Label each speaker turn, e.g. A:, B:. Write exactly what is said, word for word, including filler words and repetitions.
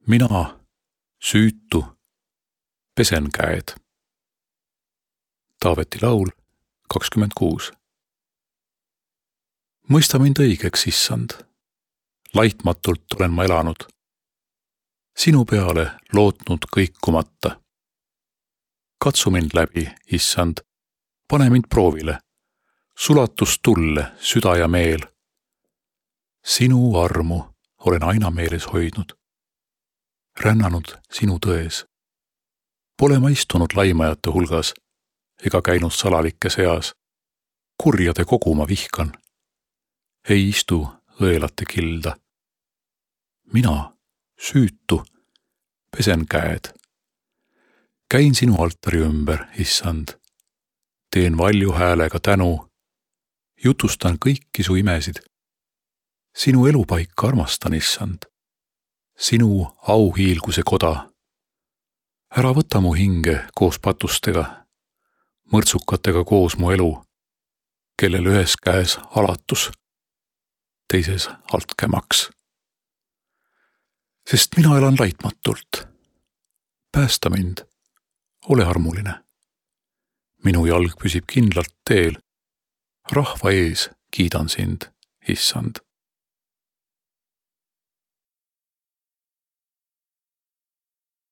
A: Mina, süütu, pesen käed. Taaveti laul kakskümmend kuus. Mõista mind õigeks, issand. Laitmatult olen ma elanud. Sinu peale lootnud kõikumata. Katsu mind läbi, issand. Pane mind proovile. Sulatus tulle, süda ja meel. Sinu armu olen aina meeles hoidnud. Rännanud sinu tões. Pole ma istunud laimajate hulgas ega käinud salalike seas. Kurjade kogu ma vihkan. Ei istu õelate kilda. Mina, süütu, pesen käed. Käin sinu altari ümber, issand. Teen valju häälega tänu. Jutustan kõiki su imesid. Sinu elupaika armastan, issand. Sinu auhiilguse koda. Ära võta mu hinge koos patustega, mõrtsukatega koos mu elu, kellel ühes käes alatus, teises altkämaks. Sest mina elan laitmatult. Päästa mind, ole armuline. Minu jalg püsib kindlalt teel. Rahva ees kiidan sind, issand.